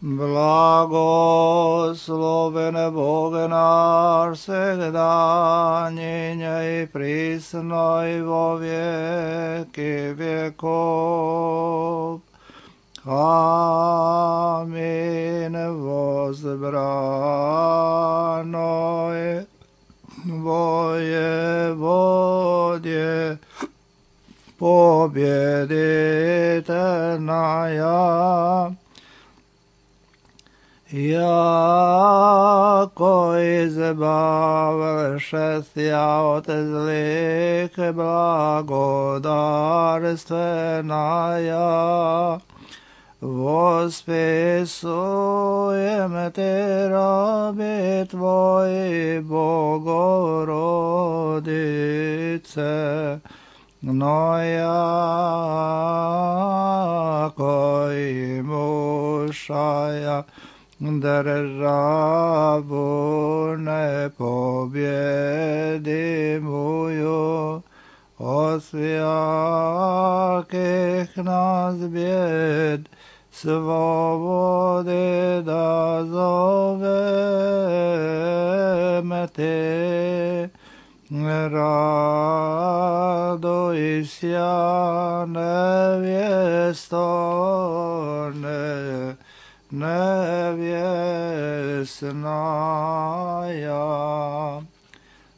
Blagosloven Bože náš, всегда, ныне и присно и во веки веков. Аминь. Возбраной воеводе победительная, яко избавившися от злых благодарственная, восписуем Те, раби Твои, Богородице, но яко имущая державу непобедимую, от всяких нас бед свободы дозовем Те. Радуйся, невесто невесная.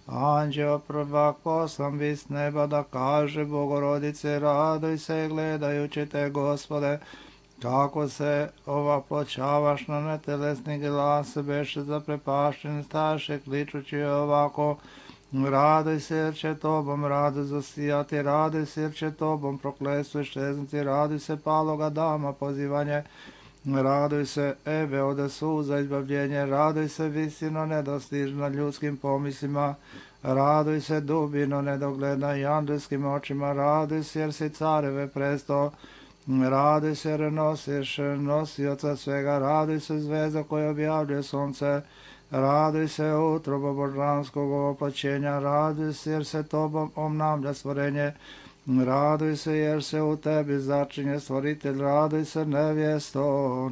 Anđeo prvak poslan bi s neba da kaže Bogorodice, radujse gledajući te, Gospode, kako se ovaploćavaš na netelesni glas, beše zaprepašten, staše kličući ovako: raduj se jer će tobom rado zasijati, raduj se jer će tobom prokletstvo iščeznuti, raduj se paloga dama pozivanje, raduj se Eve od suza izbavljenje, raduj se visino nedostižna ljudskim pomislima, raduj se dubino nedogledna i andelskim očima, raduj se jer si careve presto, raduj se jer nosiš nosioca svega, raduj se zvezda koja objavljuje sunce, raduj se utrobo božanskog ovoplaćenja, raduj se jer se tobom obnavlja stvorenje, raduj se jer se u tebi začinje stvoritelj, raduj se nevjesto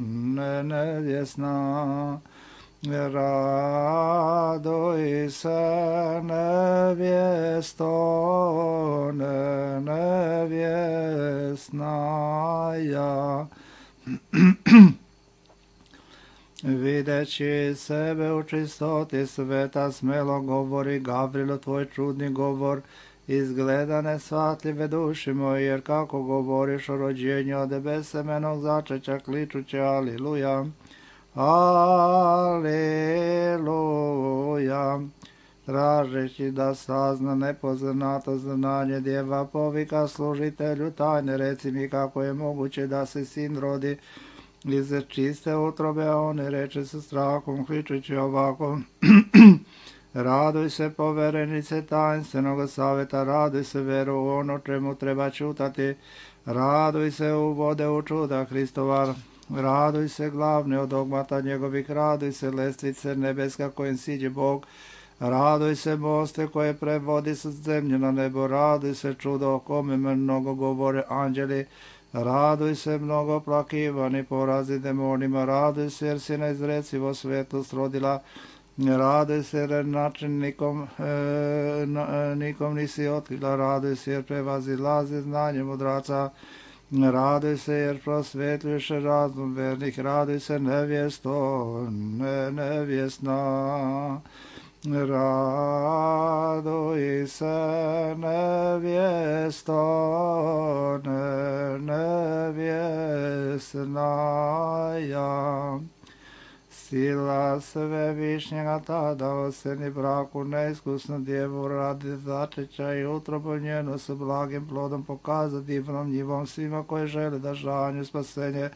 nevjesna, raduj se nevjesto nevjesnaja. Videći sebe u čistoti sveta, smelo govori Gavrilo tvoj čudni govor, izgleda nesvatljive duši moji, jer kako govoriš o rođenju od besemenog začeća, kličuće aliluja, aliluja. Tražeći da sazna nepoznato znanje, djeva povika služitelju tajne, reci mi kako je moguće da se sin rodi iz čiste utrobe, a on reče sa strahom, kličući ovako: raduj se poverenice tajnstvenog saveta, raduj se veru u ono čemu treba čutati, raduj se u vode u čuda Hristova, raduj se glavne od dogmata njegovih, raduj se lestvice nebeska kojim siđe Bog, raduj se moste koje prevodi sa zemlje na nebo, raduj se čudo o kome mnogo govore anđeli, raduj se mnogo plakivani porazi demonima, raduj se jer si neizrecivo svetlost rodila, raduj se jer način nikom nisi otkrila, raduj se jer prevazilazi znanje mudraca, raduj se jer prosvetljuješ razum vernih, raduj se nevjesto nevjesna, raduj se nevjesto nevjesnaja. Sila svevišnjega tada oseni braku neiskusnu djevu radi začeća i utrobu njenu s blagim plodom pokaza divnom njivom svima koji žele da žanju spasenje,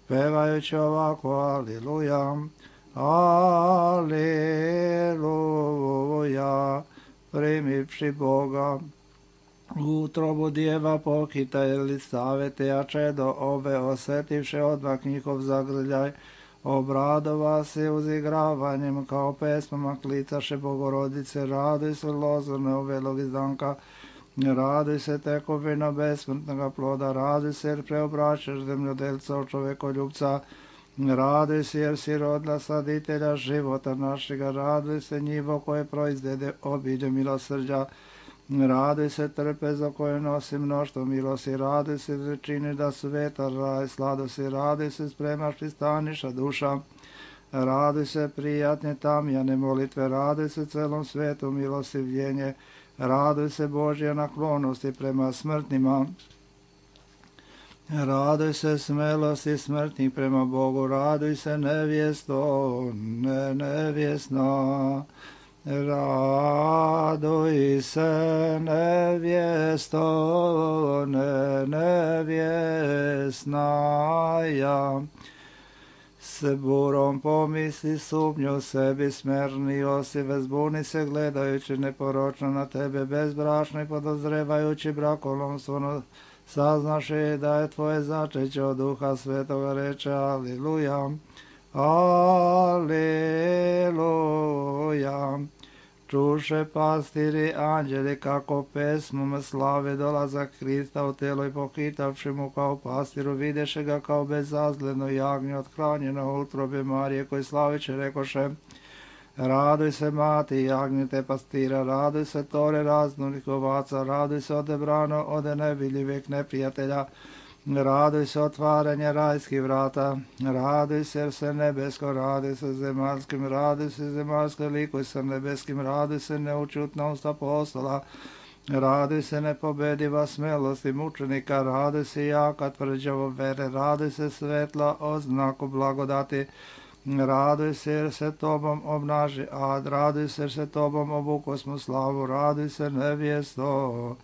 pevajući ovako aliluja, aliluja. Primivši Boga u utrobu djeva pohitajili savete, a čedo ove osetivše odmah njihov zagrljaj, obradova se uzigravanjem kao pesmama klicaše Bogorodice, raduj se lozorne uvelog izdanka, raduj se tekovina besmrtnoga ploda, raduj se jer preobraćaš zemljodelca od čovekoljubca, Raduj se jer si rodila sladitelja života našega, raduj se njivo koje proizvede obilje milosrđa. Raduj se trpezo koje nosi mnoštvo milosti, raduj se čini da su vetar raj sladosti, raduj se spremaš pristaniša duša. Raduj se prijatne tamjane molitve, raduj se celom svetu milostivljenje, raduj se Božje naklonosti prema smrtnima. Raduj se smelosti smrtnih prema Bogu, raduj se nevjesto, nevjesna. Raduj se nevjesto, nevjesnaja. S burom pomisli sumnju sebi smernio si, vezbuni se gledajući neporočno na tebe, bezbrašno i podozrevajući brakolomstvo, saznaš i da je tvoje začeće od Duha Svetoga, reče Aliluja, Aliluja. Čuše pastiri anđeli kako pesmom slave dolazak Hrista u telo i pohitavši mu kao pastiru, videše ga kao bezazledno jagnje othranjeno u utrobi Marije, koji slaviće rekoše: Raduj se mati jagnjete pastira, raduj se tore raznorih ovaca, raduj se odebrano ode nevidljivih neprijatelja, raduj se otvaranje rajskih vrata, raduj se jer se nebesko, raduj se zemaljskim, raduj se zemaljsko, likuj se nebeskim, raduj se neučutnost apostola, raduj se nepobediva smelosti mučenika, raduj se jaka tvrđavo vere, raduj se svetla oznaku blagodati, raduj se jer se tobom obnaži ad, raduj se jer se tobom obukosmo slavu, raduj se nevjesto,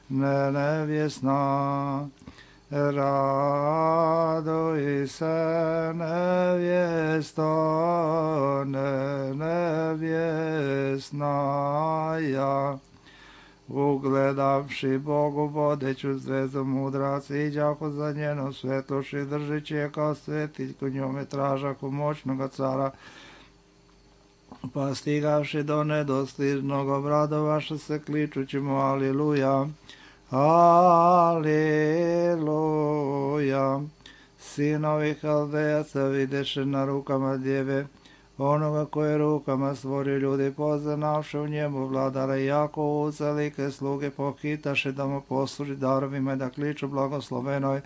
nevjesna. Raduj se nevjesto, nevjesnaja. Ugledavši Bogu vodeću zvezdu mudraci, iđahu za njeno svetloši, držeći je kao svetiljku, njome tražahu moćnoga cara, pa stigavši do nedostižnog obradovaša se kličući mu Aliluja. Aleluja. Sinovi Haldejaca videše na rukama djeve onoga koje rukama stvori ljudi, poznavše u njemu vladara, jako ucelike sluge pohitaše da mu posluži darovima i da kliču blagoslovenoj.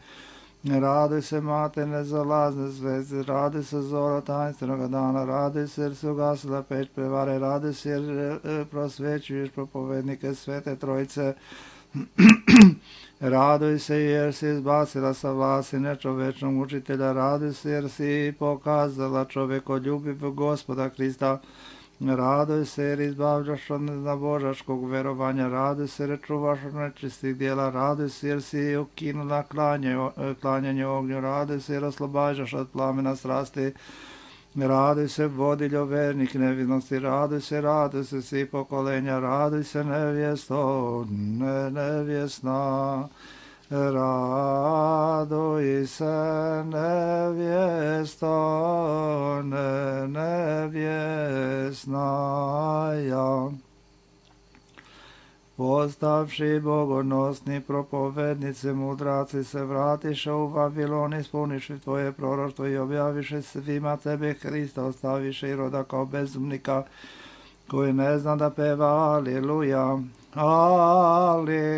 Raduj se mate nezalazne zvezde, raduj se zora tajnstvenog dana, raduj se jer se ugasila peć prevare, raduj se jer prosvećuješ propovednike Svete Trojice. Raduj se jer si izbacila sa vlasti nečovečnog učitelja, raduj se jer si pokazala čovekoljubiv Gospoda Hrista, raduj se jer izbavljaš od neznabožačkog verovanja, raduj se jer čuvaš od nečistih djela, raduj se jer si ukinula klanjanje ognju, raduj se jer oslobađaš od plamena strasti, raduj se vodiljo vernih nevinosti, raduj se svi pokolenja, raduj se nevjesto, nevjesna. Raduj se nevjesto, nevjesnaja. Postavši bogonosni propovednice, mudraci se vratiše u Vavilon, ispuniše tvoje proroštvo i objaviše svima tebe Hrista, ostaviše i roda kao bezumnika, koji ne zna da peva Aliluja, Aliluja.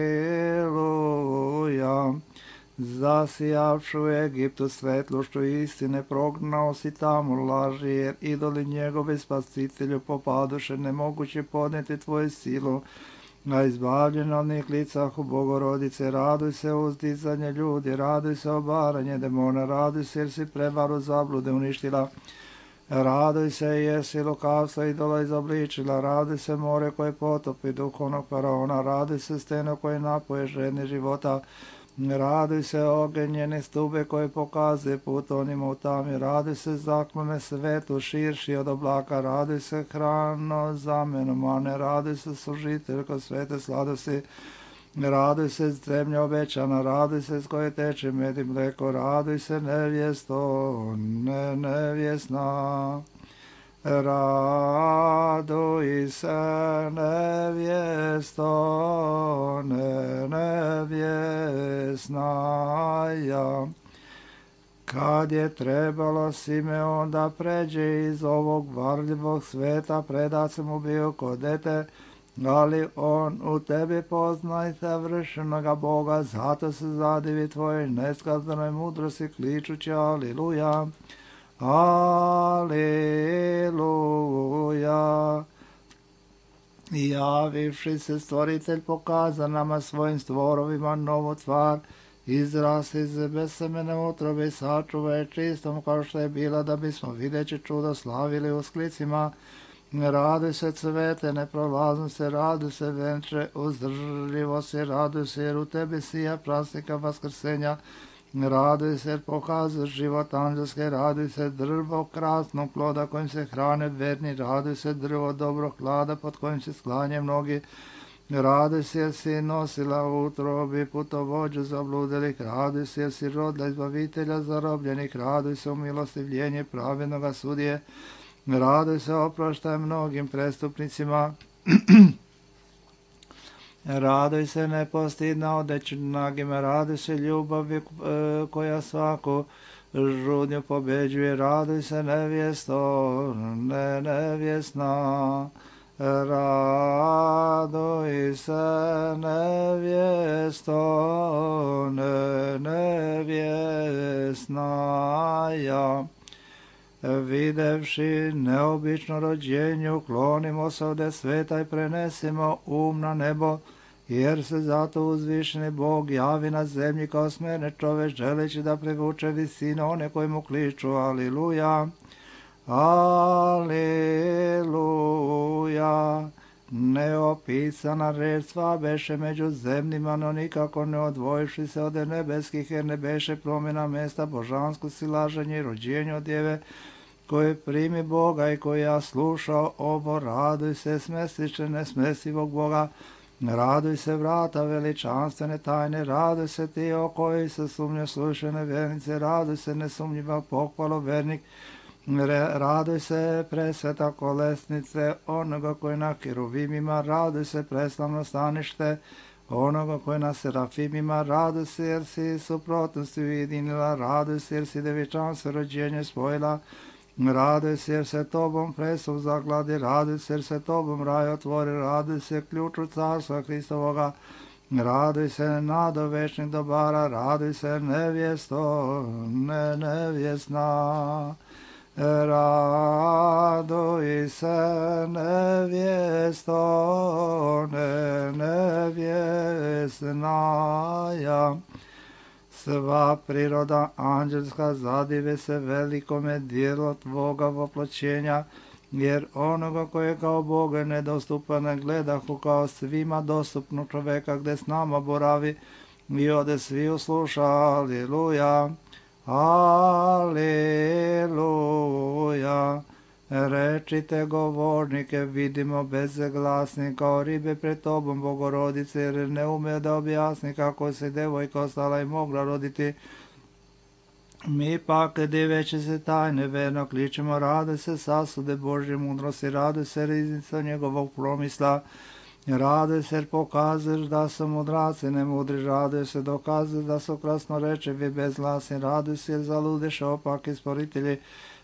Zasijavšu u Egiptu svetlošću istine, prognao si tamo laži, jer idoli njegove spasitelju popadoše, nemoguće podneti tvoju silu, a izbavljeno od njih licahu Bogorodice. Raduj se uzdizanje ljudi, raduj se obaranje demona, raduj se jer si prevaru zablude uništila, raduj se jer si lukavstvo idola izobličila, raduj se more koje potopi duhovnog faraona, raduj se steno koje napoje žedne života, raduj se ogenjene stube koje pokazuje put onima u tami, raduj se zaklone svetu širši od oblaka, raduj se hrano zamenu mane, raduj se služiteljko svete sladosti, raduj se zemlja obećana, raduj se s koje teče med i mleko, raduj se nevjesto, nevjesna. Raduj se nevjesto, nevjesnaja. 「Kad je trebalo Simeon da pređe iz ovog varljivog sveta, predat se mu bio kod dete, ali on u tebi poznaj savršenoga Boga, zato se zadivi tvojoj neskazanoj mudrosti kličući aliluja, aliluja. I javivši se stvoritelj pokaza nama svojim stvorovima novu tvar, izrasti iz besemene utrobe i sačuva je čistom kao što je bila, da bismo videći čudo slavili u sklicima. Raduj se cvete, neprolazno se, raduj se venče, uzdržljivo se, raduj se jer u tebi sija prasnika vaskrsenja. Raduj se jer pokazuješ život anđelske, raduj se drvo krasnog ploda kojim se hrane verni, raduj se drvo dobrog klada pod kojim se sklanje mnogi. Raduj se jer si nosila u utrobi putovođu zabludelih, raduj se jer si rodila izbavitelja zarobljenih, raduj se umilostivljenje pravednoga sudije, raduj se oproštaj mnogim prestupnicima, raduj se nepostidna odeći nagima, raduj se ljubavi koja svaku žudnju pobeđuje, raduj se nevjesto, nevjesna, raduj se nevjesto, nevjesna ja. Videvši neobično rođenje, uklonimo se od sveta i prenesimo na nebo, jer se zato uzvišeni Bog javi na zemlji kao smerne čovek, želeći da privuče visine one koji mu kliču. Aliluja, aliluja. Neopisana reč sva beše među zemljima, no nikako ne odvojivši se od nebeskih, jer ne beše promjena mesta božansko silaženje i rođenje od djeve, koji primi Boga i koji ja slušao ovo. Raduj se smestiče nesmestivog Boga, raduj se vrata veličanstvene tajne, raduj se ti o koji se sumnje slušane vernice, raduj se nesumnjiva pohvalo vernik, raduj se presveta kolesnice onoga koji na keruvimima, raduj se preslavno stanište onoga koji na serafimima, raduj se jer si suprotnosti ujedinila, raduj se jer si devičanstvo rođenje spojila, raduj se jer se tobom presuv zagladi, raduj se jer se tobom raj otvori, raduj se ključu carstva Hristovoga, raduj se nado večnih dobara, raduj se nevjesto, nevjesna. Raduj se nevjesto, nevjesna ja. Sva priroda anđelska zadive se velikome dijelu tvoga voploćenja, jer onoga koje kao Boga nedostupan ne gledahu kao svima dostupnu čoveka gde s nama boravi i ode svi usluša. Aliluja, aliluja. Rečite govornike, vidimo bezglasni kao ribe pred tobom, Bogorodice, jer ne ume da objasni kako se devojka ostala i mogla roditi. Mi pak, diveći se tajne, verno kličemo, raduj se sasude Božje mudrosti, raduj se riznica njegovog promisla, raduj se jer pokazuješ da su mudraci nemudri, raduj se dokazuješ da su krasnorečevi bezglasni, raduj se jer zaludeše opaki sporitelji,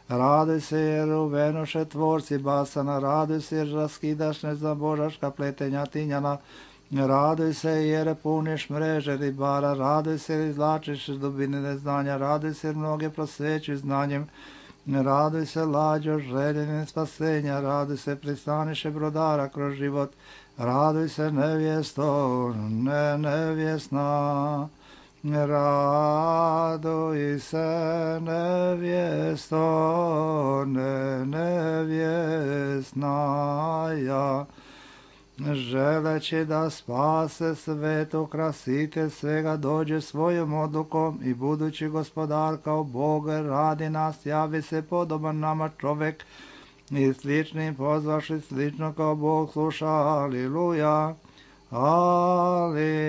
raduj se jer uvenoše tvorci basana, raduj se jer raskidaš nezabožaška pletenja tinjana, raduj se jer puniš mreže ribara, raduj se jer izlačiš dubine neznanja, raduj se jer mnoge prosvećuj znanjem, raduj se lađo željenim spasenja, raduj se pristaniše brodara kroz život, raduj se nevjesto, nevjesna. Raduj se nevjesto, nevjesna ja. Želeći da spase svetu krasitelj svega dođe svojom odlukom i budući gospodar kao Bog radi nas, javi se podoban nama čovek i sličnim pozvaši slično kao Bog sluša. Aliluja, aliluja.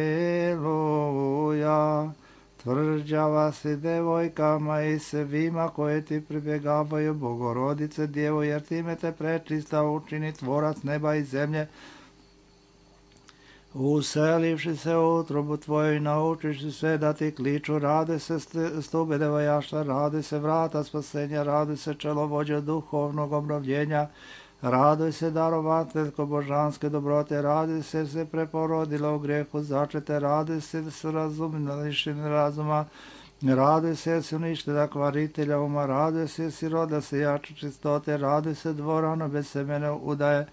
Tvrđava si devojkama i svima koje ti pribjegavaju, Bogorodice Djevo, jer time te prečista učini tvorac neba i zemlje. Uselivši se u utrobu tvoju i naučiši sve da ti kliču, raduj se stube devojaštva, raduj se vrata spasenja, raduj se čelovođa duhovnog obnovljenja, raduj se darovateljko božanske dobrote, raduj se preporodila u grehu začete, raduj se s lišeni razuma, raduj se si uništila kvaritelja uma, raduj se si roda se jače čistote, raduj se dvorano bez semene udaje,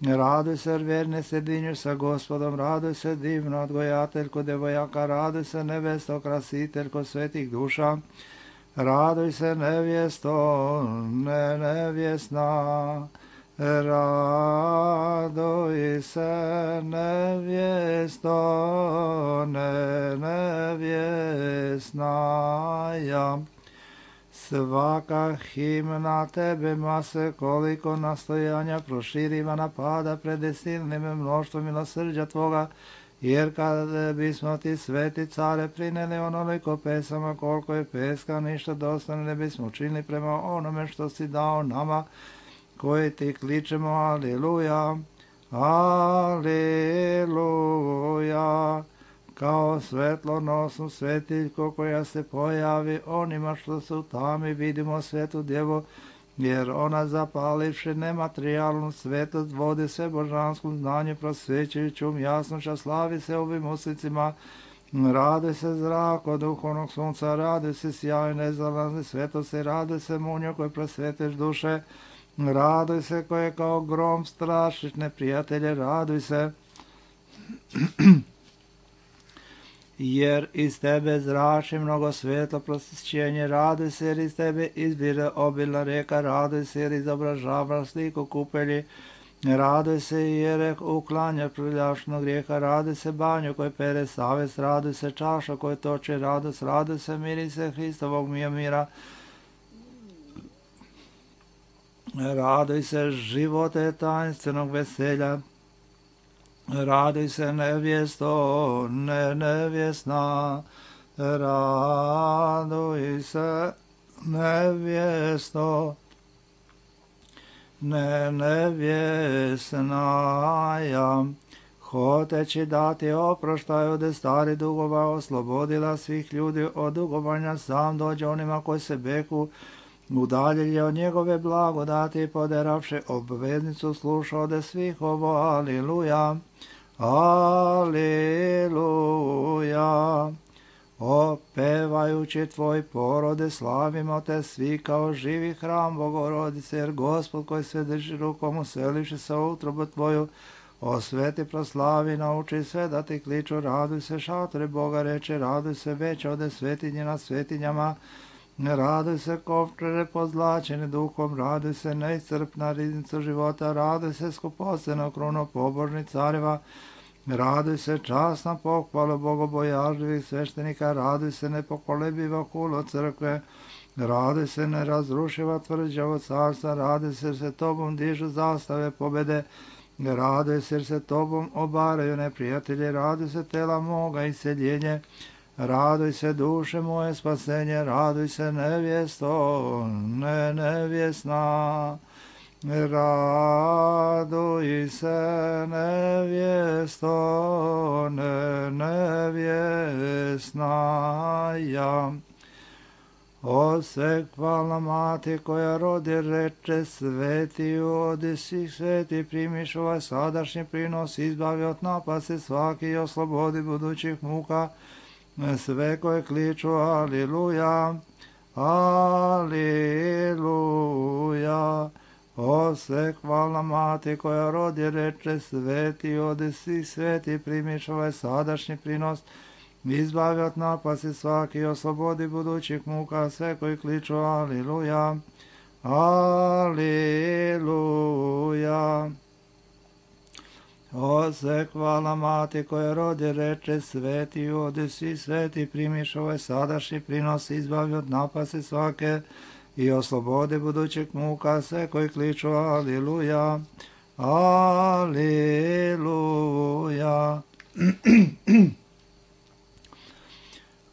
raduj se vjerne sjedinju sa gospodom, raduj se divno odgojateljko devojaka, raduj se nevesto krasiteljko svetih duša, raduj se nevjesto, nevjesna, raduj se nevjesto, nevjesna ja. Svaka himna tebe mase koliko nastojanja proširiva napada pred silnim mnoštvom milosrđa tvoga, jer kada bismo ti sveti care prineli onoliko pesama koliko je peska, ništa dosta ne bismo učinili prema onome što si dao nama, koji ti kličemo aleluja, aleluja. Kao svetlonosnu svetiljko koja se pojavi onima što su tami, vidimo svetu djevu, jer ona zapalivši nematerijalnu svetost vodi se božanskom znanju prosvećujućom jasnoća, slavi se ovim uslicima, raduj se zrak od duhovnog sunca, raduj se sjaj nezalazne svetosti, raduj se munjo koji prosveteš duše, raduj se koje kao grom strašiš neprijatelje, raduj se jer iz tebe zrači mnogo svetlo prosvećenje, raduj se jer iz tebe izbire obilna reka, raduj se jer izobražava sliku kupelji, raduj se jer uklanja prljašnog grijeha, raduj se banju koji pere savest, raduj se čaša koji toče radost, raduj se mirise Hristovog mira, raduj se živote tajnstvenog veselja, raduj se nevjesto, nevjesna, raduj se nevjesto, nevjesna ja. Hoteći dati oproštaj od stari dugova, oslobodila svih ljudi od dugovanja, sam dođe onima koji se beku, udaljili od njegove blagodati, poderavši obveznicu, sluša ode svih ovo, aleluja, aleluja. Opevajući tvoj porode, slavimo te svi kao živi hram Bogorodice, jer Gospod koji sve drži rukom, uselivši se u utrobu tvoju, osveti, proslavi, nauči sve da ti kliču, raduj se šatore Boga, reče, raduj se već ode svetinje nad svetinjama, raduj se kovčere pozlačene duhom, raduj se neiscrpna riznica života, raduj se skupoceno kruno pobožnih careva, raduj se časna pohvala bogobojažljivih sveštenika, raduj se nepokolebiva hulo crkve, raduj se nerazrušiva tvrđavo carstva, raduj se tobom dižu zastave pobede, raduj se jer se tobom obaraju neprijatelji, raduj se tela moga iseljenje, raduj se duše moje spasenje, raduj se nevjesto, nevjesna, raduj se nevjesto, nevjesna ja. O sve hvalna mati koja rodi, reče, sveti odi svih sveti, primiš ovaj sadašnji prinos, izbavi od napasti svaki i oslobodi budućih muka, sve koje kliču aleluja, aleluja. O sve hvalna mati koja rodi, reče, sveti odi svih sveti, primiš ovaj sadašnji prinos, izbavi od napasti svaki i oslobodi budućih muka, sve koji kliču aleluja, aleluja. O sve hvala mati koja rodi, reče, sveti odi svi sveti, primiš ovaj sadašnji prinos, izbavi od napasti svake i oslobodi budućih muka, sve koji kliču aleluja, aleluja.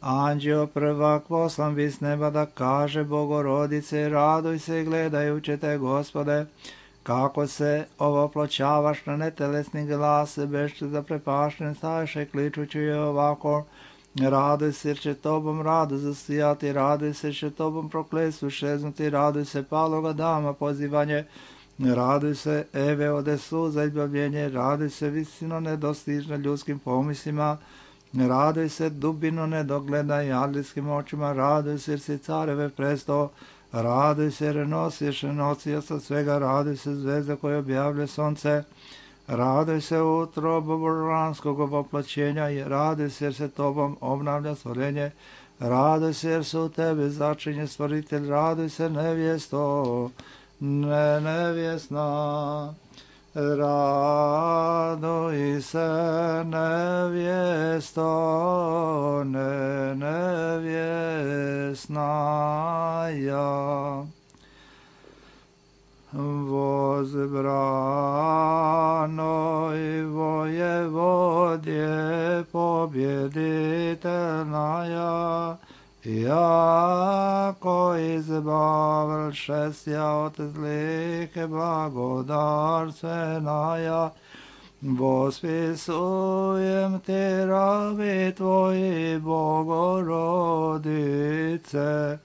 Anđeo prvak poslan bi s neba da kaže Bogorodice, raduj se gledajući te Gospode, kako se ovoploćavaš na netelesni glas, bešće zaprepašten stajše kličući je ovako, raduj se jer će tobom rado zasijati, raduj se jer će tobom prokletstvu šeznuti, raduj se paloga dama pozivanje, raduj se Eve ode suza izbavljenje, raduj se visino nedostižno ljudskim pomislima, raduj se dubino nedogledaj adlijskim očima, raduj se jer si careve presto, raduj se jer nosiš nosioca svega, raduj se zvezda koja objavlja sonce, raduj se utrobu božanskog ovoploćenja i raduj se jer se tobom obnavlja stvorenje, raduj se jer se u tebe začinje stvoritelj, raduj se nevjesto, nevjesna, raduj se nevjesto, nevjesna ja. Возбранoj воеводje победительная, jako izbavlše sja od zlike blagodarstvenaja, vospisujem ti rabi tvoji Bogorodice,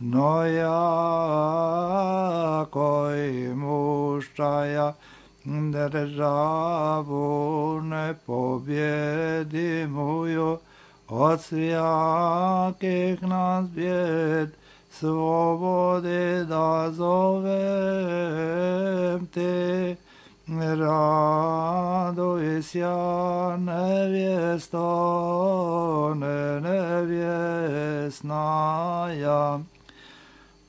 no jako imuščaja državu nepobjedimuju, od svijakih nas bjed slobode da zovem te, raduj sja nevjesto, nevjesnaja.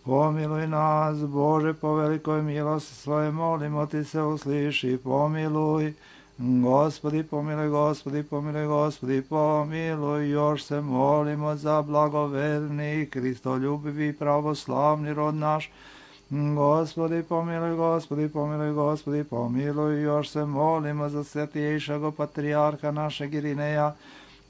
Pomiluj nas, Bože, po velikoj milosti svoje, molimo ti se, usliši, pomiluj. Gospodi, pomiluj, Gospodi, pomiluj, Gospodi, pomiluj. Još se molimo za blagoverni, kristoljubivi, pravoslavni rod naš. Gospodi, pomiluj, Gospodi, pomiluj, Gospodi, pomiluj. Još se molimo za svetiješago patrijarha našeg Irineja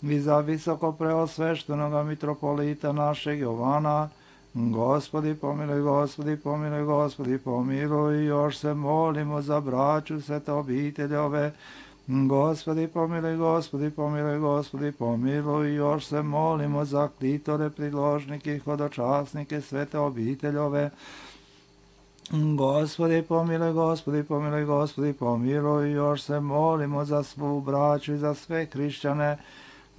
i za visoko preosveštenoga mitropolita našeg Jovana. Gospodi, pomiluj, Gospodi, pomiluj, Gospodi, pomiluj. Još se molimo za braću svete obiteljove. Gospodi, pomiluj, Gospodi, pomiluj, Gospodi, pomiluj. Još se molimo za klitore, priložnike i hodočasnike svete obiteljove. Gospodi, pomiluj, Gospodi, pomiluj, Gospodi, pomiluj. Još se molimo za svu braću i za sve hrišćane.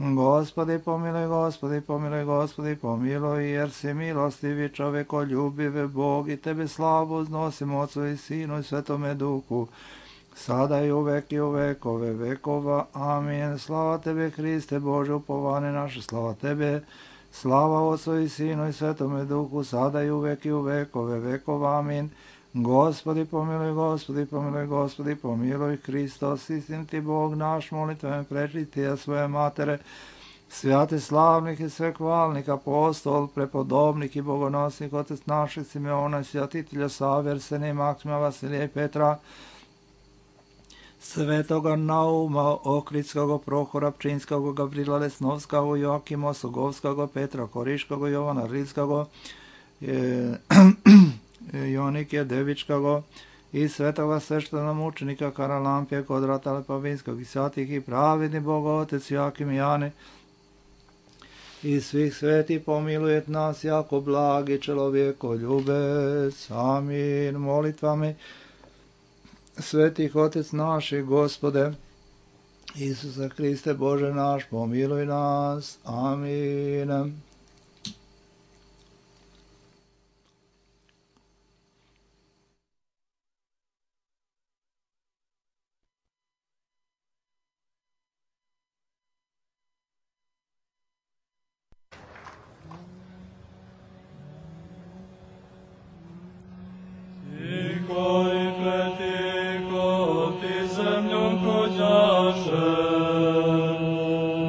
Gospodi, pomiluj, Gospodi, pomiluj, Gospodi, pomiluj, jer si milostivi, čovekoljubive Bog, i tebe slavu uznosimo Otcu i Sinu i Svetome Duhu, sada i uvek i u vekove vekova. Amin. Slava tebe, Hriste Bože, upovane naše, slava tebe, slava Otcu i Sinu i Svetome Duhu, sada i uvek i u vekove vekova. Amin. Gospodi, pomiluj, Gospodi, pomiluj, Gospodi, pomiluj. Hristos, istin ti Bog naš, molitvem prečistija svoje matere, svjati slavnih i svekvalnih apostol, prepodobnik i bogonosnik, otec naših Simeona, svjatitelja Save, Arsenija, Maksima, Vasilija i Petra, svetoga Nauma, Ohridskog, Prohora, Pčinskog, Gavrila Lesnovskog, Joakima Sogovskog, Petra Koriškog, Jovana Rilskog, Jonikija Devičkog i svetoga sveštenomučenika Karalampija, Kodrata Lepavinskog i svatih i pravedni Boga Otec Joakim i Jane i svih sveti pomilujet nas jako blagi čelovjekoljubec. Amin. Molitvami svetih Otec naših, Gospode Isuse Hriste Bože naš, pomiluj nas. Amin.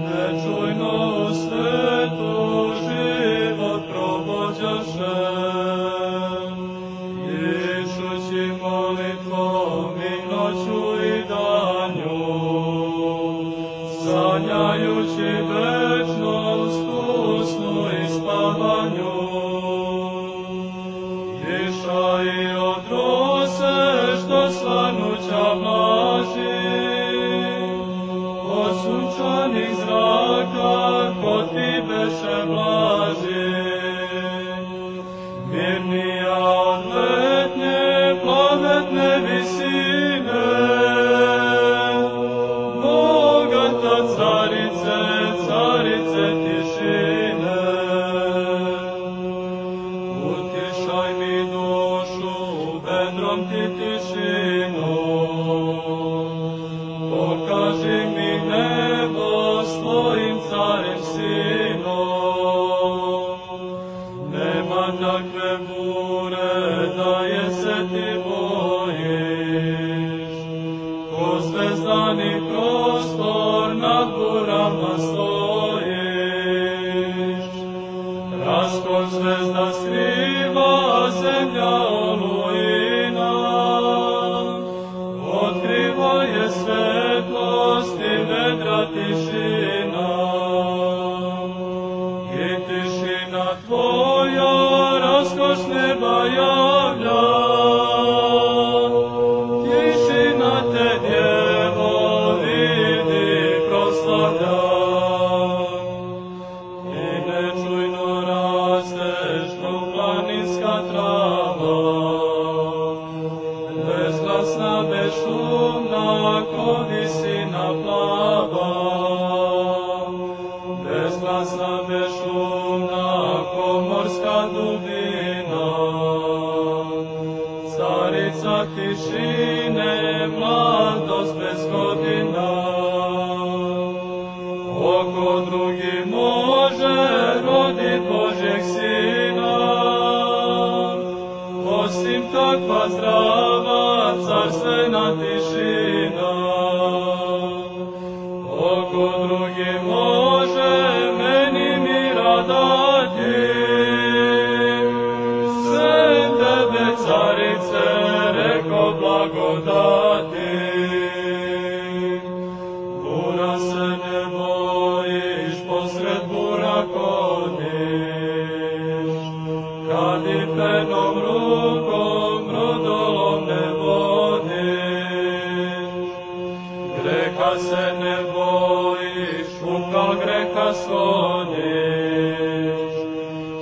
Ne čujno svetu beše blaži, mirnija od letnje plavetne visine, bogata carice, carice tišine. Utišaj mi dušu, vedrom ti tišinu, pokaži mi nebo s tvojim carim sinom. Nema takve bure da je se ti bojiš, ko zvezdani prostor nad burama stojiš. Raskon zvezda skriva zemlja olujina, otkriva je svetlost i vedra tišina. I tišina tvoja raskoš neba javlja, tišina te djevo vidi proslavlja. I nečujno rasteš ko planinska trava, bezglasna, bezšumna, ko visina plava. Bezglasna, bezšumna, ko morska dubina. Carica tišine, mladost bez godina. Oko drugi može rodit Božjeg sina, osim takva zdrava carstvena tišina. Oko drugi može meni mira dati, sem tebe carice reko blagodati. Bura se ne bojiš, posred bura kodiš, kad i penom rukom brodolom ne vodiš. Greha se ne bojiš, ukal greha skloniš,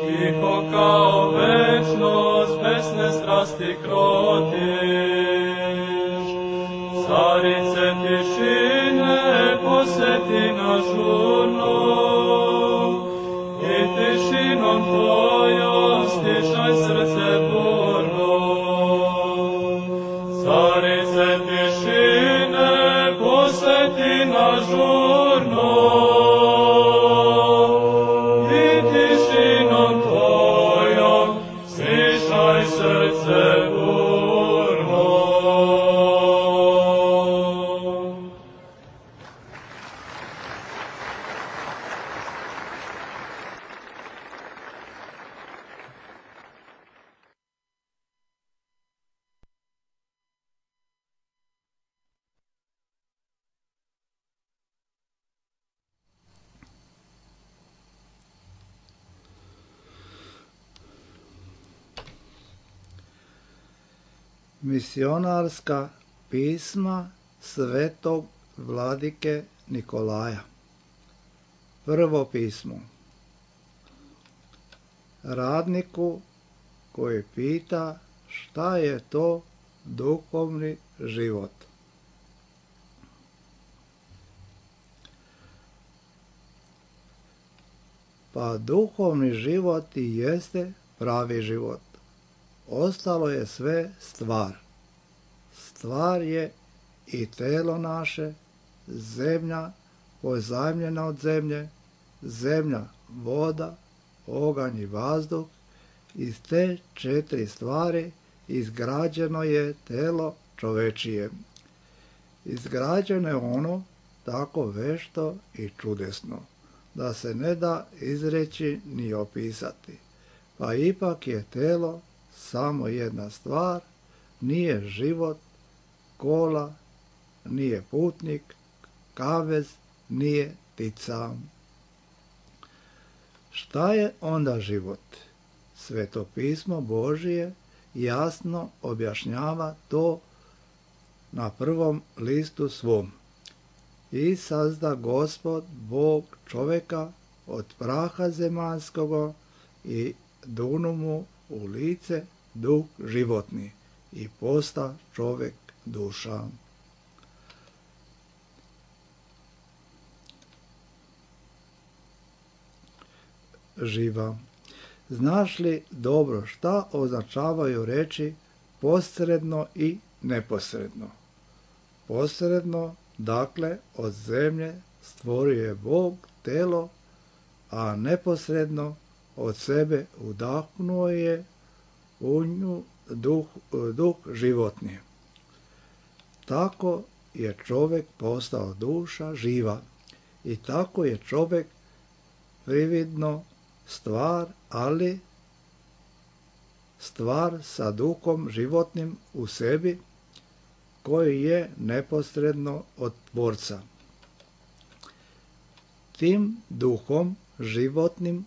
tiho kao večnost besne strasti krotiš. Carice tišine posjeti nas žurno, i tišinom tvojom stišaj srce burno. Carice tišine posjeti nas žurno, i tišinom tvojom stišaj srce burno. Misionarska pisma svetog vladike Nikolaja. Prvo pismo. Radniku koji pita šta je to duhovni život. Pa duhovni život i jeste pravi život. Ostalo je sve stvar. Stvar je i telo naše, zemlja pozajmljena od zemlje, zemlja, voda, oganj i vazduh. Iz te 4 stvari izgrađeno je telo čovečije. Izgrađeno je ono tako vešto i čudesno, da se ne da izreći ni opisati. Pa ipak je telo samo jedna stvar, nije život, kola, nije putnik, kavez, nije ptica. Šta je onda život? Sveto pismo Božije jasno objašnjava to na prvom listu svom. I sazda Gospod Bog čoveka od praha zemaljskoga i dunu mu u lice duh životni i posta čovjek duša. Živa. Znaš li dobro šta označavaju reči posredno i neposredno? Posredno, dakle, od zemlje stvorio je Bog telo, a neposredno od sebe udahnuo je u nju duh životni. Tako je čovjek postao duša živa i tako je čovjek prividno stvar, ali stvar sa duhom životnim u sebi, koji je neposredno od Tvorca. Tim duhom životnim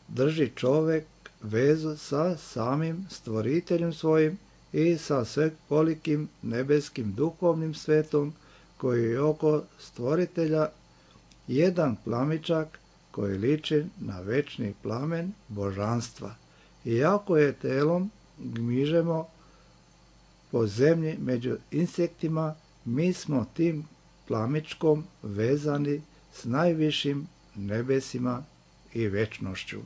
drži čovjek vezu sa samim stvoriteljem svojim i sa svekolikim nebeskim duhovnim svetom, koji je oko stvoritelja jedan plamičak koji liči na večni plamen božanstva. Iako je telom gmižemo po zemlji među insektima, mi smo tim plamičkom vezani s najvišim nebesima i večnošću.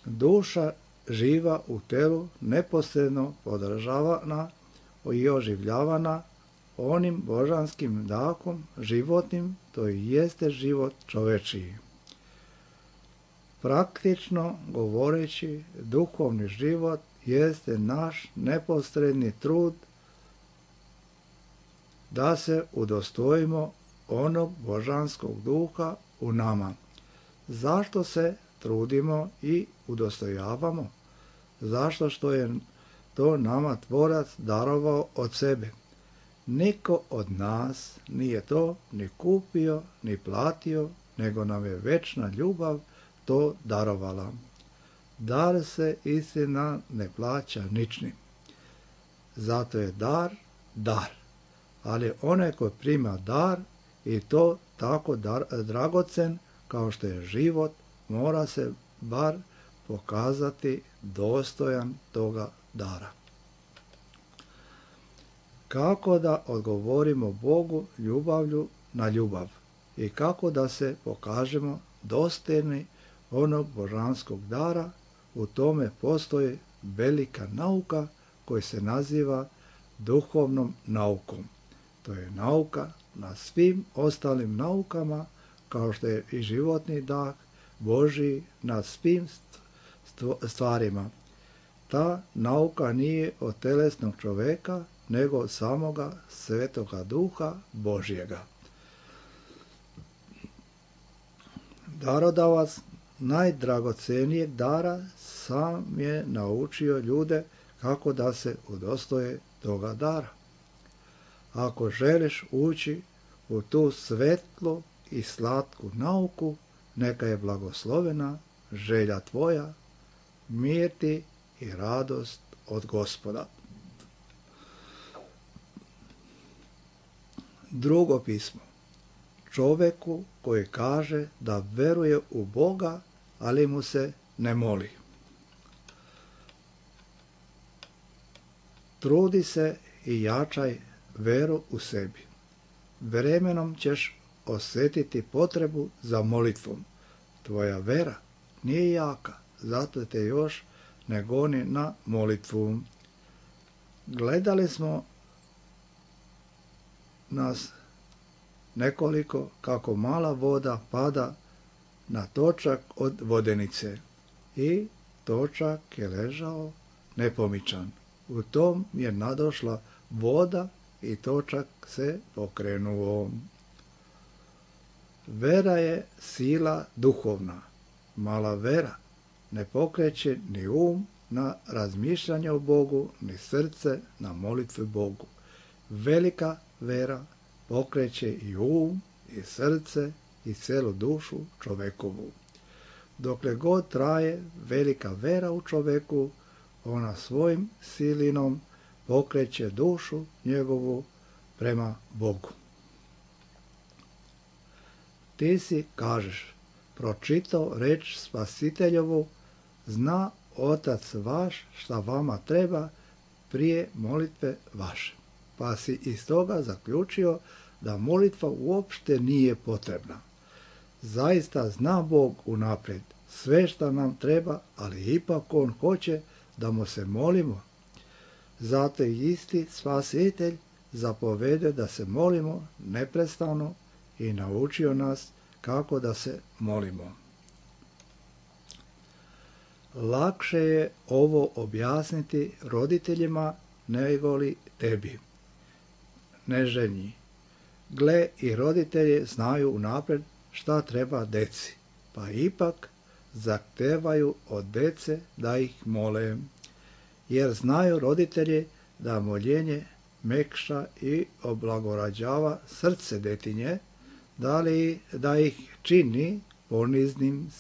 Duša živa u telu neposredno podržavana i oživljavana onim božanskim dahom životnim, to i jeste život čovečiji. Praktično govoreći, duhovni život jeste naš neposredni trud da se udostojimo onog božanskog duha u nama. Zašto se trudimo i udostojavamo? Zašto što je to nama Tvorac darovao od sebe. Niko od nas nije to ni kupio, ni platio, nego nam je večna ljubav to darovala. Dar se istina ne plaća ničnim. Zato je dar, dar. Ali onaj ko prima dar i to tako dragocen kao što je život, mora se bar pokazati dostojan toga dara. Kako da odgovorimo Bogu ljubavlju na ljubav i kako da se pokažemo dostojni onog božanskog dara, u tome postoji velika nauka koja se naziva duhovnom naukom. To je nauka na svim ostalim naukama, kao što je i životni dah Božji na svim stvarima. Ta nauka nije od telesnog čoveka, nego od samoga Svetoga Duha Božjega. Darodavac najdragocenijeg dara sam je naučio ljude kako da se udostoje toga dara. Ako želiš ući u tu svetlu i slatku nauku, neka je blagoslovena želja tvoja, mir ti i radost od Gospoda. Drugo pismo. Čoveku koji kaže da veruje u Boga, ali mu se ne moli. Trudi se i jačaj veru u sebi. Vremenom ćeš osjetiti potrebu za molitvom. Tvoja vera nije jaka, zato te još ne goni na molitvu. Gledali smo nas nekoliko kako mala voda pada na točak od vodenice i točak je ležao nepomičan. U tom je nadošla voda i točak se pokrenuo. Vera je sila duhovna. Mala vera ne pokreće ni na razmišljanje o Bogu, ni srce na molitvu Bogu. Velika vera pokreće i i srce i celu dušu čovekovu. Dokle god traje velika vera u čoveku, ona svojim silinom pokreće dušu njegovu prema Bogu. Ti si, kažeš, pročitao reč Spasiteljovu, zna Otac vaš šta vama treba prije molitve vaše. Pa si iz toga zaključio da molitva uopšte nije potrebna. Zaista zna Bog unaprijed sve šta nam treba, ali ipak On hoće da mu se molimo. Zato i isti Spasitelj zapovede da se molimo neprestano i naučio nas kako da se molimo. Lakše je ovo objasniti roditeljima nego li tebi, neželjni. Gle, i roditelji znaju unaprijed šta treba deci, pa ipak zahtevaju od dece da ih mole, jer znaju roditelji da moljenje mekša i oblagorađava srce detinje, da ih čini poniznim,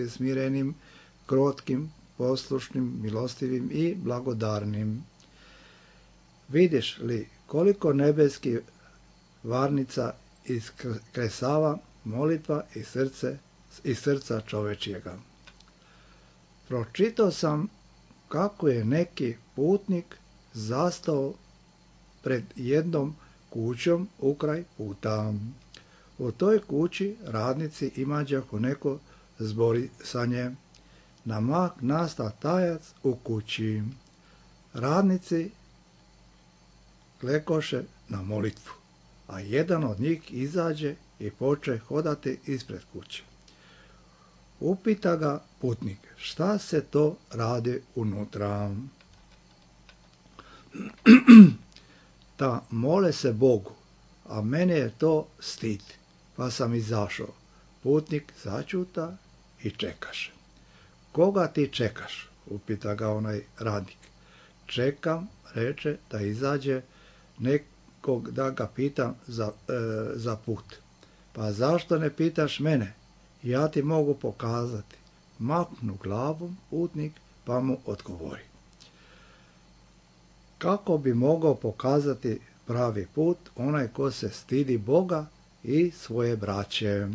smirenim, krotkim, poslušnim, milostivim i blagodarnim. Vidiš li koliko nebeskih varnica iskresava molitva iz srca čovečijega. Pročitao sam kako je neki putnik zastao pred jednom kućom ukraj puta. U toj kući radnici imađahu neko zborisanje. Na mak nasta tajac u kući. Radnici klekoše na molitvu, a jedan od njih izađe i poče hodati ispred kuće. Upita ga putnik, šta se to radi unutra? Ta mole se Bogu, a mene je to stid, pa sam izašao. Putnik začuta i čekaše. Koga ti čekaš? Upita ga onaj radnik. Čekam, reče, da izađe nekog da ga pitam za put. Pa zašto ne pitaš mene? Ja ti mogu pokazati. Maknu glavom putnik, pa mu odgovori. Kako bi mogao pokazati pravi put onaj ko se stidi Boga i svoje braće?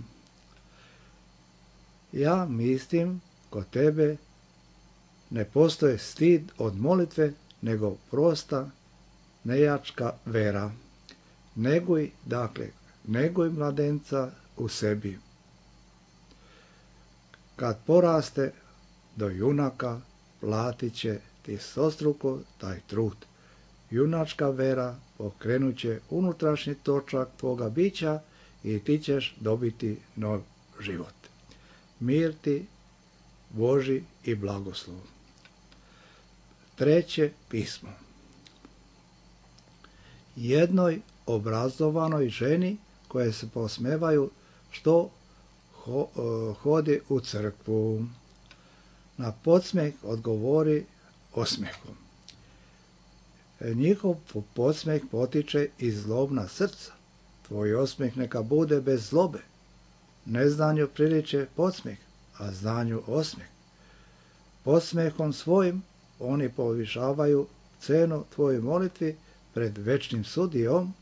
Ja mislim, kod tebe ne postoji stid od molitve, nego prosta nejačka vera. Neguj mladenca u sebi. Kad poraste do junaka, platit će ti stostruko taj trud. Junačka vera pokrenut će unutrašnji točak tvoga bića i ti ćeš dobiti nov život. Mir ti, Boži i blagoslov. 3. pismo. Jednoj obrazovanoj ženi koje se posmevaju što hodi u crkvu. Na podsmeh odgovori osmehom. Njihov podsmeh potiče iz zlobna srca. Tvoj osmeh neka bude bez zlobe. Neznanju priliče podsmeh, a znanju osmeh. Podsmehom svojim oni povišavaju cenu tvojoj molitvi pred večnim sudijom,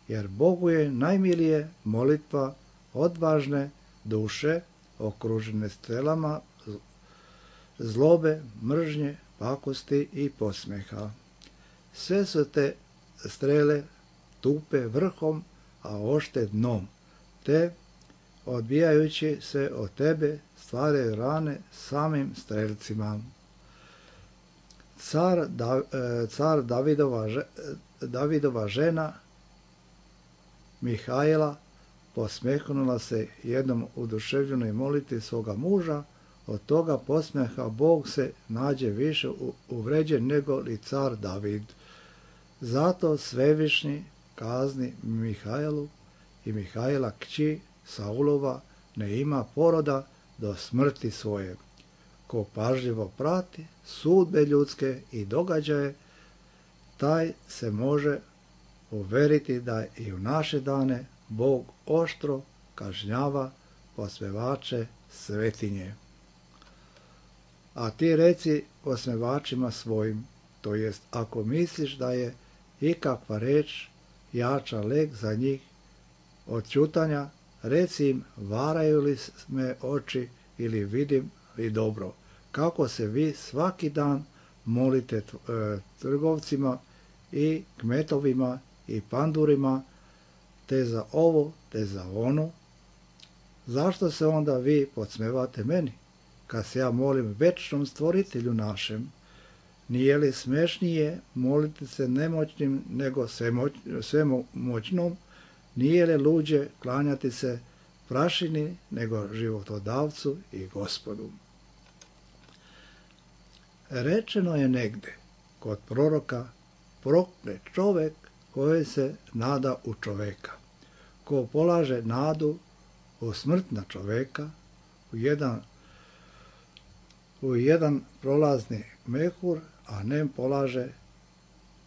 jer Bogu je najmilije molitva odvažne duše okružene strelama zlobe, mržnje, pakosti i podsmeha. Sve su te strele tupe vrhom, a ošte dnom, te odbijajući se od tebe stvaraju rane samim strelcima. Car Davidova žena Mihajla posmehnula se jednom oduševljenoj molitvi svoga muža, od toga posmeha Bog se nađe više uvređen nego li car David. Zato Svevišnji kazni Mihajlu i Mihajla kći Saulova ne ima poroda do smrti svoje. Ko pažljivo prati sudbe ljudske i događaje, taj se može uveriti da i u naše dane Bog oštro kažnjava posmevače svetinje. A ti reci posmevačima svojim, to jest ako misliš da je ikakva reč jača lek za njih od ćutanja, reci im, varaju li me oči ili vidim li dobro, kako se vi svaki dan molite trgovcima i kmetovima i pandurima, te za ovo, te za ono. Zašto se onda vi podsmevate meni, kad se ja molim večnom stvoritelju našem? Nije li smešnije moliti se nemoćnim nego svemoćnom? Nije li luđe klanjati se prašini nego životodavcu i Gospodu? Rečeno je negde kod proroka, proklet čovek koji se nada u čoveka. Ko polaže nadu u smrt na čoveka, u jedan prolazni mehur, a nem polaže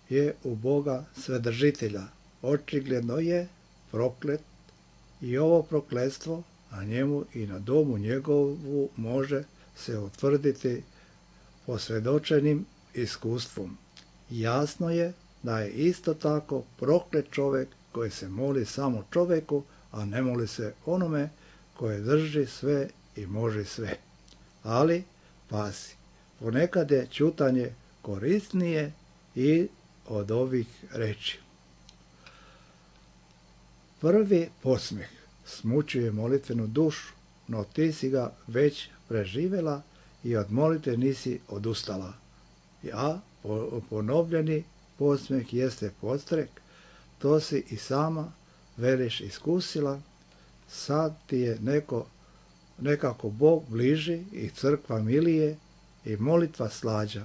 je u Boga Svedržitelja. Očigledno je proklet i ovo prokletstvo na njemu i na domu njegovu može se utvrditi posvjedočenim iskustvom. Jasno je da je isto tako proklet čovjek koji se moli samo čovjeku, a ne moli se onome koje drži sve i može sve. Ali, pazi, ponekad je ćutanje korisnije i od ovih reči. Prvi podsmeh smućuje molitvenu dušu, no ti si ga već preživjela i od molitve nisi odustala. A ponovljeni podsmeh jeste podstrek, to si i sama veliš iskusila, sad ti je nekako Bog bliži i crkva milije i molitva slađa.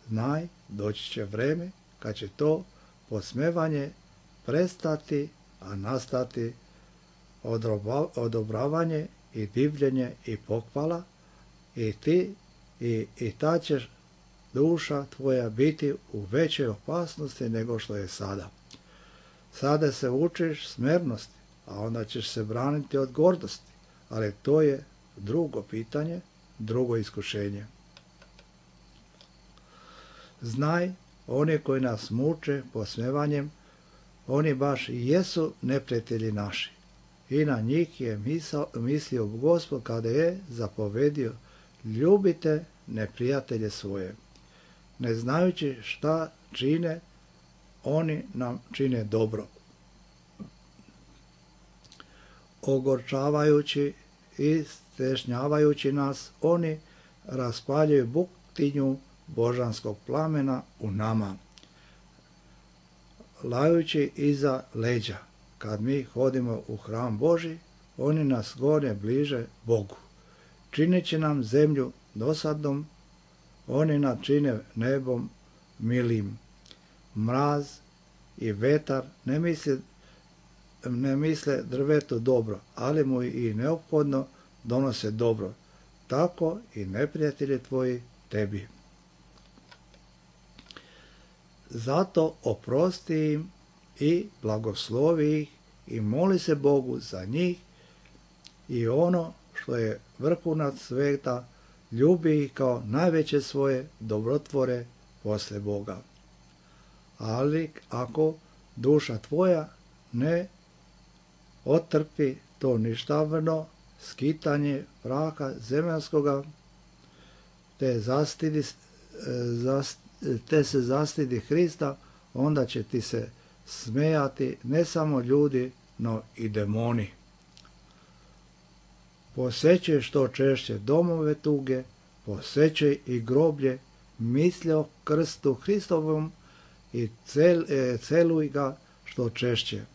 Znaj, doći će vreme kad će to podsmevanje prestati, a nastati odobravanje i divljenje i pohvala, i ti i ta ćeš duša tvoja biti u većoj opasnosti nego što je sada. Sada se učiš smernosti, a onda ćeš se braniti od gordosti, ali to je drugo pitanje, drugo iskušenje. Znaj, oni koji nas muče posmevanjem, oni baš i jesu neprijatelji naši. I na njih je mislio Gospod kada je zapovedio, ljubite neprijatelje svoje. Ne znajući šta čine, oni nam čine dobro. Ogorčavajući i stešnjavajući nas, oni raspaljuju buktinju božanskog plamena u nama. Lajući iza leđa, kad mi hodimo u hram Boži, oni nas gone bliže Bogu. Čineći nam zemlju dosadnom, oni nas čine nebom milim. Mraz i vetar ne misle drvetu dobro, ali mu i neophodno donose dobro. Tako i neprijatelji tvoji tebi. Zato oprosti im i blagoslovi ih i moli se Bogu za njih i ono što je vrhunac sveta, ljubi ih kao najveće svoje dobrotvore posle Boga. Ali ako duša tvoja ne otrpi to ništavno skitanje praha zemaljskoga, te se zastidi Hrista, onda će ti se smejati ne samo ljudi, no i demoni. Posećaj što češće domove tuge, posećaj i groblje, misli o krstu Hristovom i celuj ga što češće.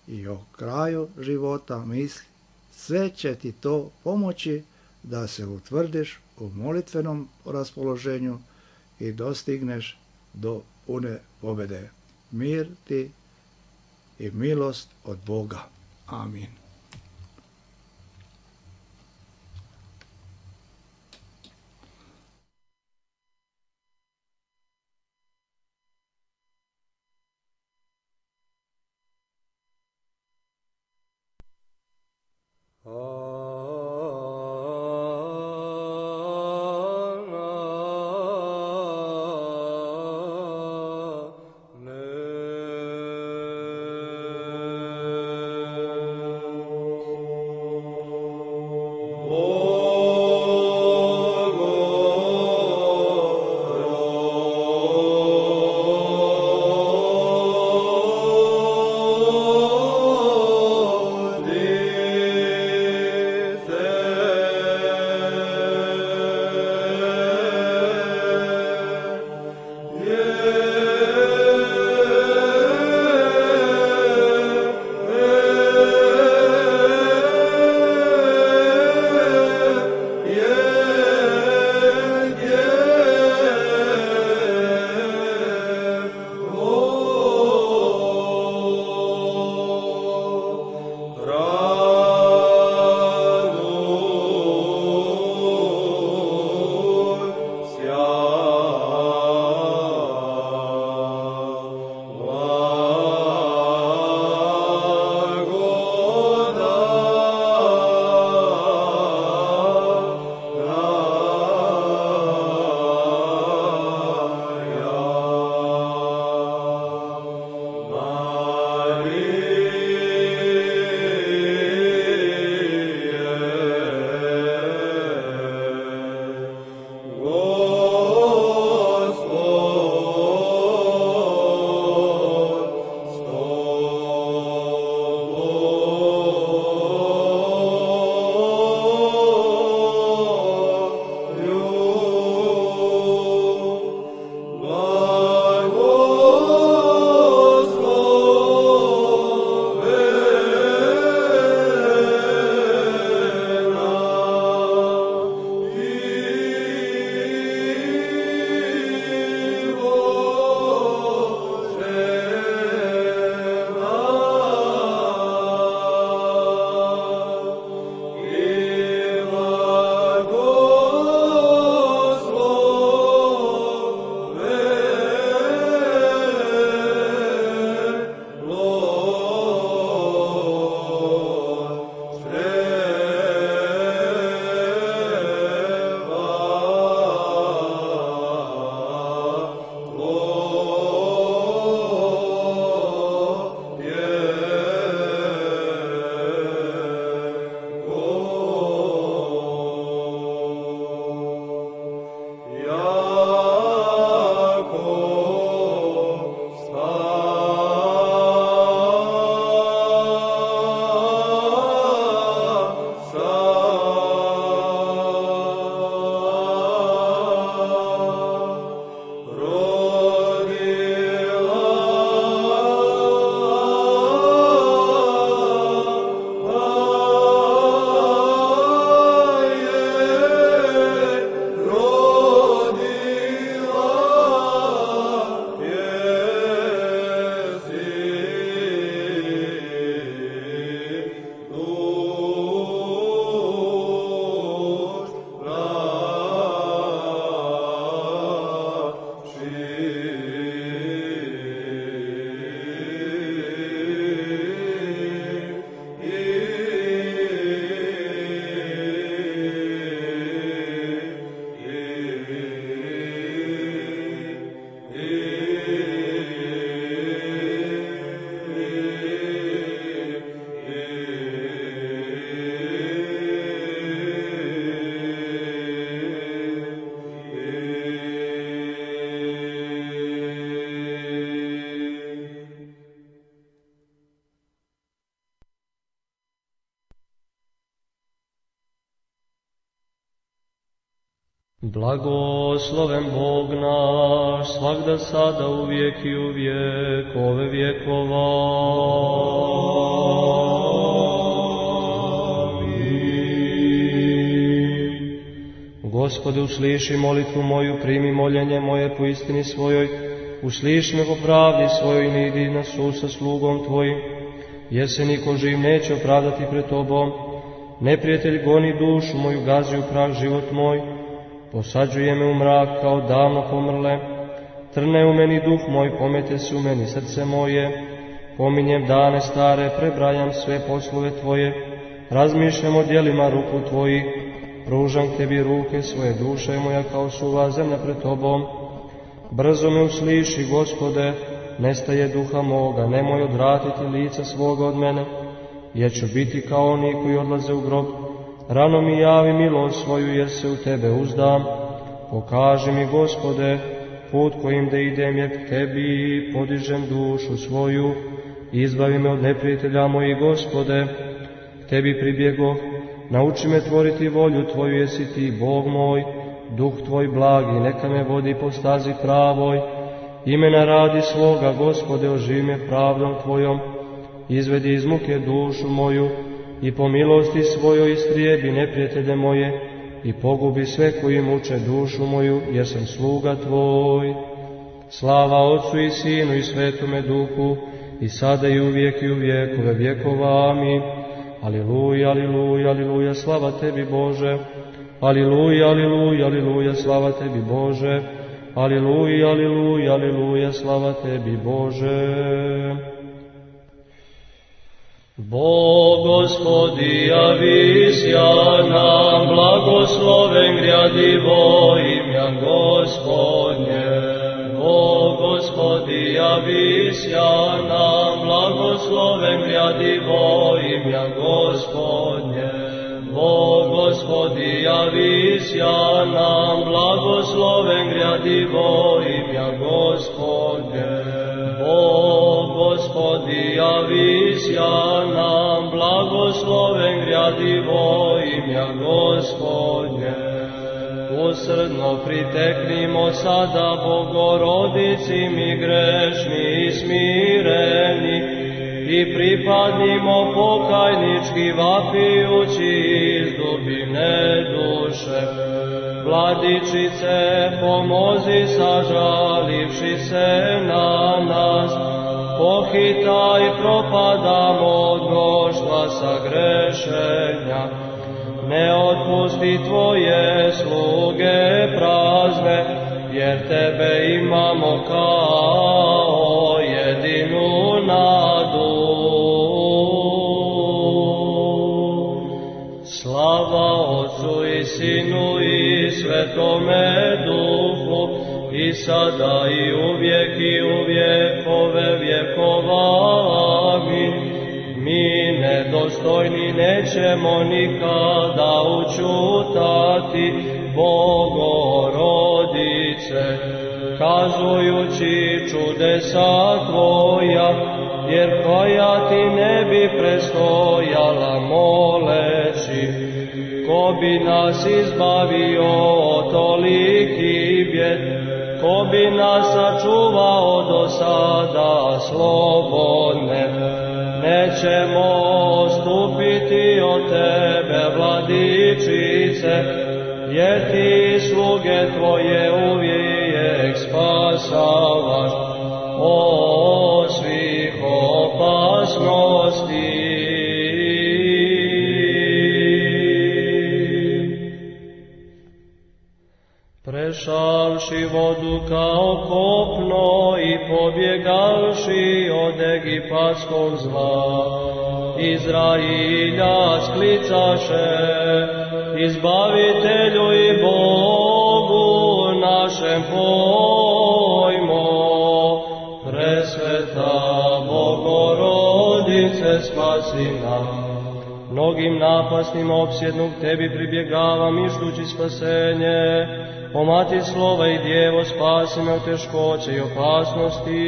I o kraju života misli, sve će ti to pomoći da se utvrdiš u molitvenom raspoloženju i dostigneš do pune pobjede. Mir ti i milost od Boga. Amin. Blagosloven Bog naš, svagda sada, uvijek i u vjekove vjekova. Gospode, usliši molitvu moju, primi moljenje moje po istini svojoj, usliši me po pravdi svojoj, ne idi na sud sa slugom tvojim, jer se niko živ neće opravdati pred tobom. Neprijatelj goni dušu moju, gazi u prah život moj, posađuje me u mrak kao davno pomrle. Trne u meni duh moj, pomete se u meni srce moje. Pominjem dane stare, prebrajam sve poslove tvoje, razmišljam o djelima ruku tvojih. Pružam tebi ruke svoje, duša je moja kao suva zemlja pred tobom. Brzo me usliši, Gospode, nestaje duha moga, nemoj odvratiti lica svoga od mene, jer ću biti kao oni koji odlaze u grob. Rano mi javi milost svoju, jer se u tebe uzdam. Pokaži mi, Gospode, put kojim da idem, jer k tebi podižem dušu svoju. Izbavi me od neprijatelja mojih, Gospode, k tebi pribjegoh. Nauči me tvoriti volju tvoju, jesi ti Bog moj. Duh tvoj blagi, neka me vodi po stazi pravoj. Imena radi svoga, Gospode, oživi me pravdom tvojom. Izvedi iz muke dušu moju i po milosti svojoj istrijebi neprijatelje moje i pogubi sve koji muče dušu moju, jer sam sluga tvoj. Slava Otcu i Sinu i Svetome Duhu, i sada i uvijek i u vjekove vjekova. Amin. Aliluja, aliluja, aliluja, slava tebi Bože. Aliluja, aliluja, aliluja, slava tebi Bože. Aliluja, aliluja, aliluja, slava tebi Bože. Bog Gospodi javisja nam, blagosloven grjadivo imja Gospodnje. Bog Gospodi javisja nam, blagosloven grjadivo imja Gospodnje. Bog Gospodi javisja nam, blagosloven grjadivo imja Gospodnje. Bog Gospodi javisja nam, blagosloven grjadivo imja Gospodnje. Usrdno priteknimo sada Bogorodici mi grešni i smireni i pripadnimo pokajnički vapijući iz dubine duše. Vladičice, pomozi sažalivši se na nas, pohitaj propadamo od mnoštva sagrešenja. Ne otpusti tvoje sluge prazne, jer tebe imamo kao jedinu nadu. Slava Otcu i Sinu i Svetome Duhu, i sada i uvijek i u vjekove vjekova. Amin. Mi nedostojni nećemo nikada učutati, Bogorodice, kazujući čudesa tvoja, jer koja ti ne bi prestojala moleći. Ko bi nas izbavio od toliki bijed, ko bi nas sačuvao do sada slobodne. Nećemo odstupiti od tebe, Vladičice, jer ti sluge tvoje uvijek spasavaš od svih opasnosti. Prešavši vodu kao kopno i pobjegavši od egipatskog zla, Izrailja sklicaše, Izbavitelju i Bogu našem pojmo. Presveta Bogorodice, spasi nam. Mnogim napasnim opsjednog tebi pribjegavam ištući spasenje. O Mati slova i Djevo, spasi me od teškoće i opasnosti.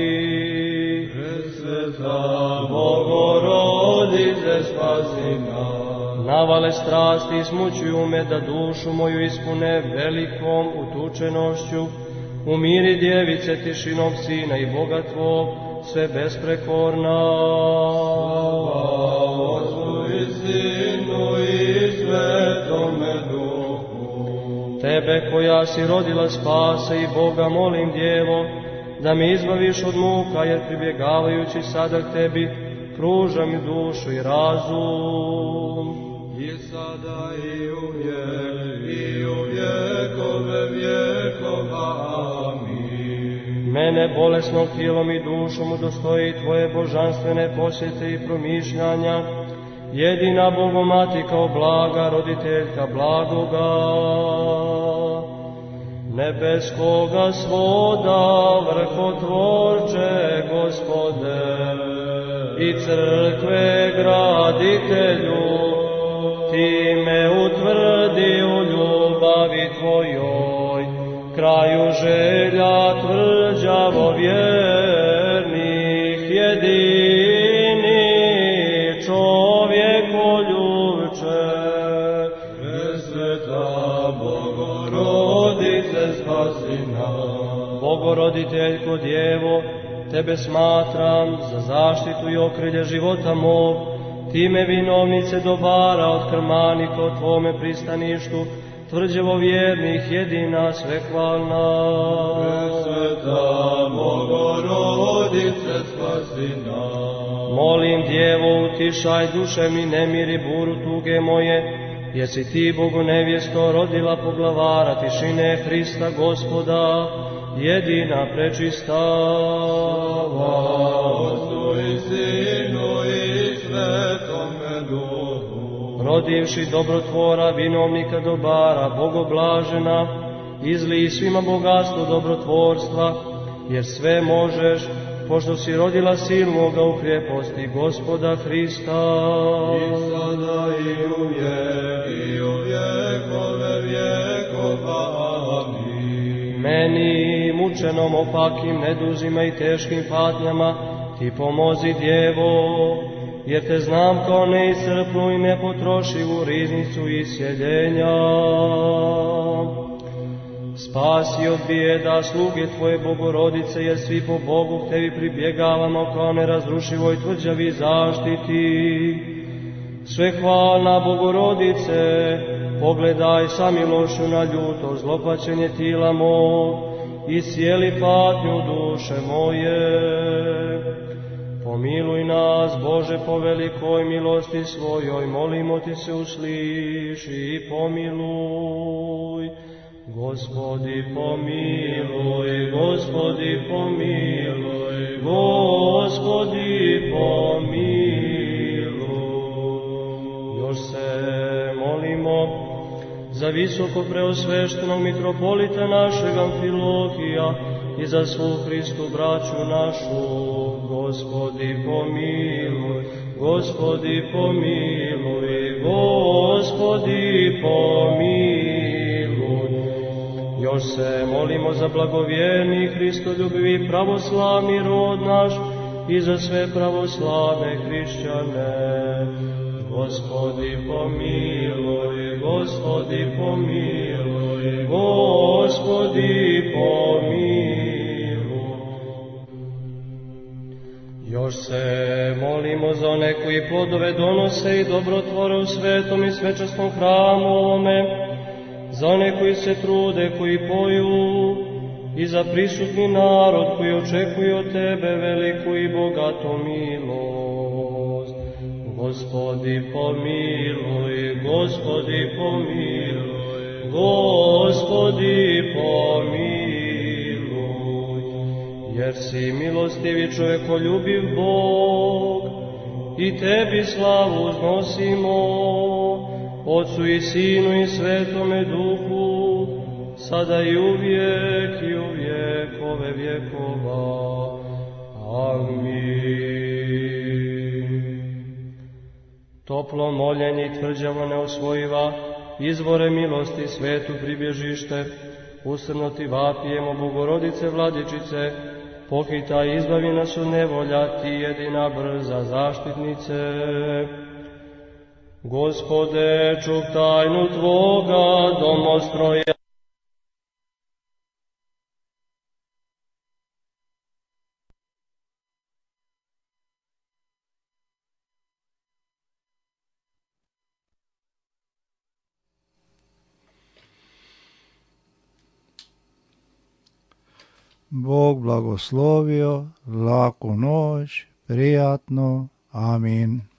Presveta Bogorodice, spasi nas. navale strasti smućuju me, da dušu moju ispune velikom utučenošću. Umiri, djevice, tišinom Sina i Boga tvog, sve besprekorna. Slava Otcu i Sinu i Svetome Duhu. Tebe koja si rodila spase i Boga molim, Djevo, da me izbaviš od muka, jer pribjegavajući sada k tebi, pruža mi dušu i razum. I sada i u vjekove vjekova. Amin. Mene bolesnog tijelom i dušom udostoji tvoje božanstvene posjete i promišljanja, jedina Bogomati kao blaga roditeljka blagoga. Nebeskoga svoda, vrhotvorče, Gospode, i crkve graditelju, ti me utvrdi u ljubavi tvojoj, kraju želja tvrđavo vjernih, jedini čovjekoljubče. Presveta Bogorodice, spasi nas. Bogoroditeljko Djevo, tebe smatram za zaštitu i okrilje života mog, time vinovnice dobara od krmanika o tvome pristaništu, tvrđevo vjernih, jedina svehvalna. Presveta Bogorodice, spasi nas. Molim Djevo, utišaj duševni nemir i buru tuge moje, jer si ti, Bogu nevjesto, rodila poglavara tišine Hrista Gospoda, jedina prečista. Otcu i Sinu i Svetome Duhu. Rodivši dobrotvora, vinovnika dobara, Bogoblažena, izlij svima bogatstvo dobrotvorstva, jer sve možeš, pošto si rodila silnoga u kreposti Gospoda Hrista. I sada i u vjekove vjekova. Amin. Meni, mučenom opakim neduzima i teškim patnjama, ti pomozi, Djevo, jer te znam kao neiscrpnu i nepotrošivu riznicu isjeljenja. Spasi od bijeda sluge tvoje Bogorodice, jer svi po Bogu k tebi pribjegavamo kao nerazrušivoj tvrđavi zaštiti. Svehvalna Bogorodice, pogledaj sa milošću na ljuto zlopaćenje tila mog i sjeli patnju duše moje. Pomiluj nas, Bože, po velikoj milosti svojoj, molimo ti se, usliši i pomiluj. Gospodi pomiluj, Gospodi pomiluj, Gospodi pomiluj. Još se molimo za visoko preosveštenog mitropolita našeg Amfilohija i za svu Hristu braću našu. Gospodi pomiluj, Gospodi pomiluj, Gospodi pomiluj. Još se molimo za blagovjerni Hristoljubivi pravoslavni rod naš i za sve pravoslavne hrišćane. Gospodi pomiluj, Gospodi pomiluj, Gospodi pomiluj. Još se molimo za one koji plodove donose i dobrotvore u svetom i svečasnom hramu ovome, za one koji se trude, koji poju, i za prisutni narod koji očekuje od tebe veliku i bogatu milost. Gospodi pomiluj, Gospodi pomiluj, Gospodi pomiluj. Jer si milostivi čovekoljubiv Bog, i tebi slavu uznosimo, Otcu i Sinu i Svetome Duhu, sada i uvijek i u vjekove vjekova. Amin. Toplo moljenje i tvrđavo neosvojiva, izvore milosti, svetu pribježište, usrno ti vapijemo, Bogorodice Vladičice, pohitaj i izbavi nas od nevolja, ti jedina brza zaštitnice. Gospode, čuv tajnu Tvoga domostroja. Bog blagoslovio, laku noć, prijatno, amin.